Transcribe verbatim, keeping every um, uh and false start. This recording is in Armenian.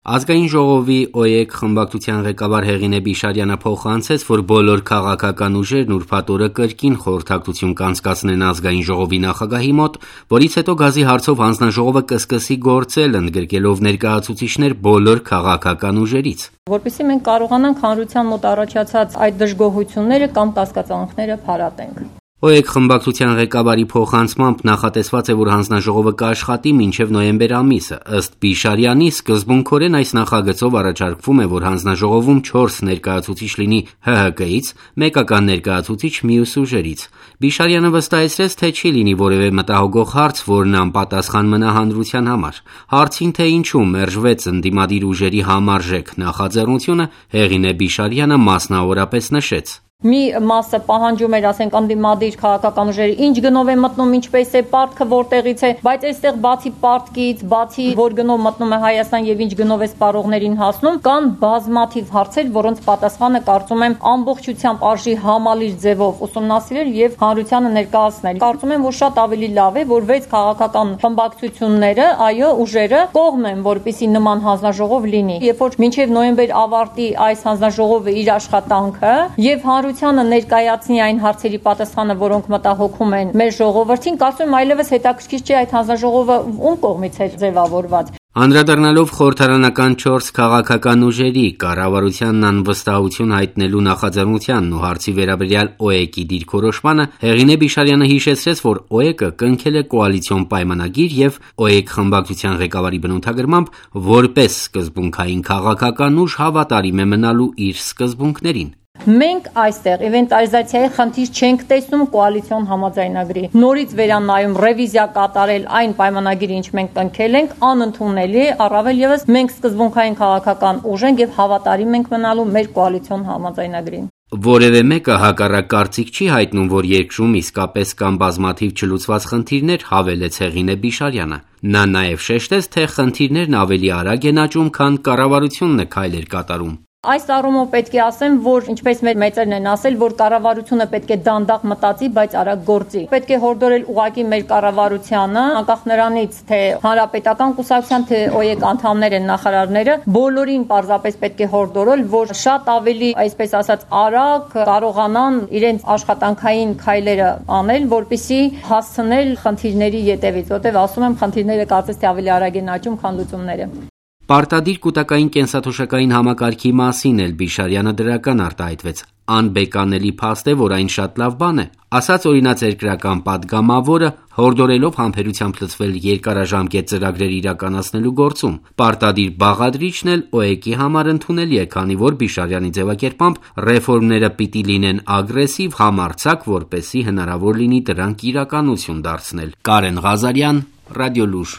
Ազգային ժողովի ՕԵԿ խմբակցության ղեկավար Հեղինե Բիշարյանը փոխանցեց, որ բոլոր քաղաքական ուժերն ուրբաթ օրը կրկին խորհրդակցություն կանցկացնեն ազգային ժողովի նախագահի մոտ, որից հետո գազի հարցով հանձնաժողովը կսկսի գործել, ընդգրկելով ներկայացուցիչներ բոլոր քաղաքական ուժերից։ Որպեսզի մենք կարողանանք հանրության մոտ առաջացած այդ դժգոհությունները կամ կասկածանքները փարատենք։ ՕԵԿ խմբակցության ղեկավարի փոխանցմամբ նախատեսված է, որ հանձնաժողովը կաշխատի մինչև նոյեմբեր ամիսը։ Ըստ Բիշարյանի, սկզբունքորեն այս նախագծով առաջարկվում է, որ հանձնաժողովում չորս ներկայացուցիչ լինի ՀՀԿ-ից, մեկական ներկայացուցիչ մյուս ուժերից։ Բիշարյանը վստահեցրեց, թե չի լինի որևէ մտահոգող հարց, որն անպատասխան մնա հանրության համար։ Հարցին, թե ինչու մերժվեց ընդդիմադիր ուժերի համարժեք նախաձեռնությունը, Հեղինե Բիշարյանը մասնավորապես նշեց. Մի մասը պահանջում էր, ասենք, ընդդիմադիր քաղաքական ուժերը ինչ գնով է մտնում, ինչպես է, պարտքը որտեղից է, բայց այստեղ բացի պարտքից, բացի որ գնով մտնում է Հայաստան եւ ինչ գնով է սպառողներին հասնում, կան բազմաթիվ հարցեր, որոնց պատասխանը կարծում եմ ամբողջությամբ արժի համալիր ձևով ուսումնասիրել եւ հանրությանը ներկայացնել։ Կարծում եմ, որ շատ ավելի լավ է, որ վեց քաղաքական խմբակցությունները, այո, ուժերը կողմ են, որպեսզի նման հանձնաժողով լինի։ Երբ որ մինչեւ նոյեմբեր ավարտի այս հանձնաժողովը իր աշխատանքը եւ հանրությանը ներկայացնի այն հարցերի պատասխանը, որոնք մտահոգում են մեր ժողովրդին, կարծում եմ այլևս հետաքրքիր չէ այդ հանձնաժողովը ում կողմից է ձևավորված։ Անդրադառնալով խորհրդարանական չորս քաղաքական ուժերի կառավարությանն անվստահություն հայտնելու նախաձեռնությանն ու հարցի վերաբերյալ ՕԵԿ-ի դիրքորոշմանը, Հեղինե Բիշարյանը հիշեցրեց, որ ՕԵԿ-ը կնքել է կոալիցիոն պայմանագիր եւ ՕԵԿ խմբակցության ղեկավարի բնութագրմամբ որպես սկզբունքային քաղաքական ուժ հավատարիմ է մնալու իր սկզբունքներին։ Մենք այստեղ ինվենտարիզացիայի խնդիր չենք տեսնում կոալիցիոն համաձայնագրի։ Նորից վերանայում, ռևիզիա կատարել այն պայմանագիրը, ինչ մենք կնքել ենք, անընդունելի, առավել եւս մենք սկզբունքային քաղաքական ուժ ենք եւ հավատարիմ ենք մնալու մեր կոալիցիոն համաձայնագրին։ Որևէ մեկը հակառակ կարծիք չի հայտնում, որ երկրում իսկապես կան բազմաթիվ չլուծված խնդիրներ, հավելեց Հեղինե Բիշարյանը։ Նա նաև շեշտեց, թե խնդիրներն ավելի արագ են աճում, քան կառավարությունն է քայլեր կատարում։ Այս առումով պետք է ասեմ, որ ինչպես մեր մեծերն են ասել, որ կառավարությունը պետք է դանդաղ մտածի, բայց արագ գործի։ Պետք է հորդորել ուղղակի մեր կառավարությանը, անկախ նրանից, թե հանրապետական կուսակցության, թե ՕԵԿ անդամներ են նախարարները, բոլորին պարզապես պետք է հորդորել, որ շատ ավելի, այսպես ասած, արագ կարողանան իրենց աշխատանքային քայլերը անել, որպեսզի հասցնել խնդիրների ետևից, որտեղ ասում եմ, խնդիրները կարծես թե ավելի արագ են աճում, քան լուծումները։ Պարտադիր կուտակային կենսաթոշակային համակարգի մասին էլ Բիշարյանը դրական արտահայտվեց։ Անբեկանելի փաստ է, որ այն շատ լավ բան է, ասաց օրինաց երկրական падգամավորը, հորդորելով համբերությամբ լծվել երկարաժամկետ ծրագրեր իրականացնելու գործում։ Պարտադիր բաղադրիչն էլ ՕԵԿ-ի համար ընդունելի է, քանի որ Բիշարյանի ձևակերպամբ ռեֆորմները պիտի լինեն ագրեսիվ, համարձակ, որպեսզի հնարավոր լինի դրանք իրականություն դարձնել։ Կարեն Ղազարյան, Ռադիոլուր։